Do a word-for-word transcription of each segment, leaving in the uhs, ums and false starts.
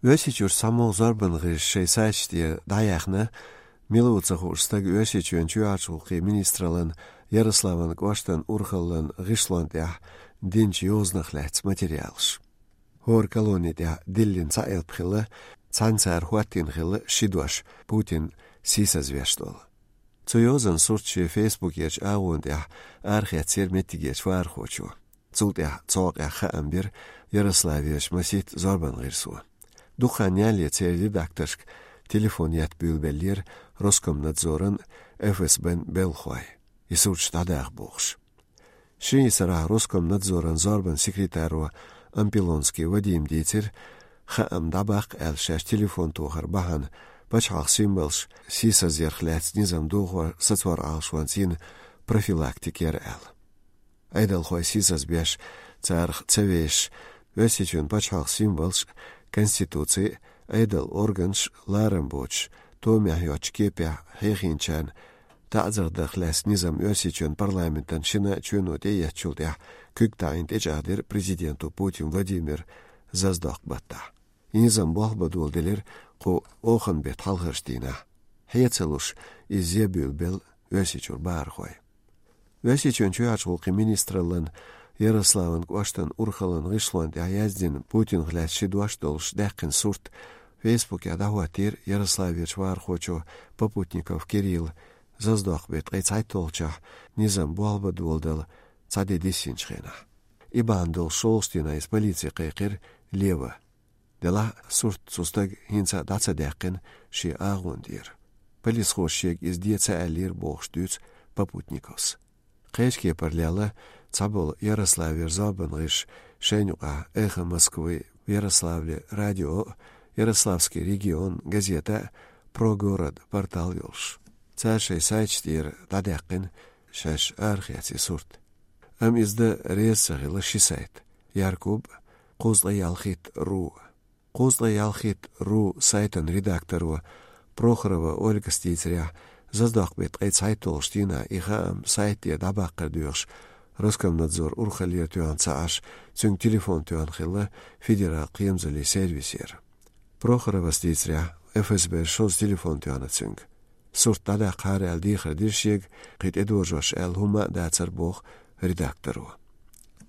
Оьрсийчуьра цхьамогӀа зорбан гӀирс шайн сайташ тӀа дӀаяьхна, мила ву ца хууш стаг Оьрсийчоьнан чоьхьарчу гӀуллакхийн министраллан Ярославан кӀоштан урхаллан гӀишлон тӀехь динчу йозанах лаьцна материалаш. ХӀора колони тӀехь диллина цхьа элп хилла, цхьаьна цара хӀоттийна хилла ши дош, Путин сийсазвеш долу. Цу йозанан сурт шен фейсбукерчу агӀонна тӀехь арахецира меттигерчу вахархочо. Цул тӀаьхьа цу хьокъехь хаам бира Ярославерчу масийтта зорбан гӀирсо. Дукха хан ялале церан редакторшка телефон етта буьйлабеллера Роскомнадзоран, ФСБ-н белхахой, и сурташ дӀадаха бохуш. Ши сарахь Роскомнадзоран зорбан секретаро Ампилонский Вадима дийцира, хаам дӀабаккха аьлла шаьш телефон тохар бахьана пачхьалкхан символаш сийсазъярх лаьцна низам дохор сацор Ӏалашонца йина профилактика яра аьлла. Айдалхой сийсазбеш, царах ца вешаш, Оьрсийчоьнан пачхьалкхан символаш, конституци, айдалан органаш ларам боцуш, томехь йоцучу кепехь хьехийначарна таӀзар дарх лаьцна низам Оьрсийчоьнан парламентан шина чоьно тӀеэцначул тӀаьхьа куьг таӀийна тӀечӀагӀдира президенто Путин Владимира заздоккху баттахь. И низам болх бан доладелира кху оханан беттан хьалхарчу дийнахь. Хье ца луш, иза зе буьйлабелла Оьрсийчуьра бахархой. Оьрсийчоьнан чоьхьарчу гӀуллакхийн министраллан Ярославан кӀоштан урхаллан гӀишлон тӀехь яздина Путинах лаьцна ши дош долуш даьккхина сурт фейсбукехь дӀахӀоттийра Ярославерчу вахархочо Попутников Кирилла, заздоккху беттан ткъе цхьайтталгӀачохь низам болх бан доладала цхьа де диссинчу хенахь. И бахьана долуш шолгӀачу дийнахь иза полице кхайкхира лева. Делахь а сурт цу стага хӀинца а дӀа ца даьккхина шен агӀон тӀера. Полисхоша шега иза де ца аьллера бохуш дуьйцу Попутниковс. Кхечу кепара лелла цхьаболу Ярославера зорбан гӀирсаш, шайна юкъахь «Эхо Москвы», Ярославле радио, «Ярославский регион» газета, «Про город» портал йолуш. Цара шайн сайташ тӀера дӀадаьккхина шаьш арахецна сурт. Амма иза дан реза ца хилла ши сайт: «Яркуб», «Кхузткъе ялхитта ру». «Кхузткъе ялхитта ру» сайтан редакторо Прохорова Ольгас дийцарехь, заздоккху беттан ткъе цхьайтталгӀачу дийнахь и хаам сайта тӀера дӀабаккхар доьхуш, Роскомнадзор урхаллера тоьхна ца Ӏаш, цуьнга телефон тоьхна хилла федералан кхерамзаллин сервисера. Прохоровас дийцарехь, ФСБ-ра шозза телефон тоьхна цуьнга. Сурт дӀадаккхахьара аьлла дехар дира шега, кхин тӀедожош аьлла хӀумма а дацара, боху редакторо.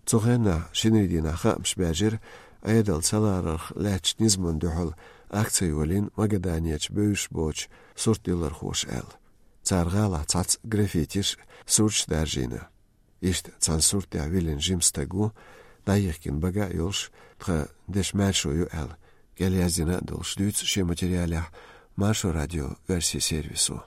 Цу хенахь шинарин дийнахь хаамаш баьржира Ӏедал ца ларарх лаьттачу низамна дуьхьал акци йолийна Магаданерчу бевзаш боцчу суртдиллархоша аьлла. Цара гӀалахь цхьацца граффитиш, сурташ даржийна. Иштта цхьана сурт тӀехь виллина жима стаг ву, дӀайихкина бага а йолуш, тхан дешан маьршо ю аьлла, кӀел яздина а долуш дуьйцу шен материалехь Маршо радион оьрсийн сервисо.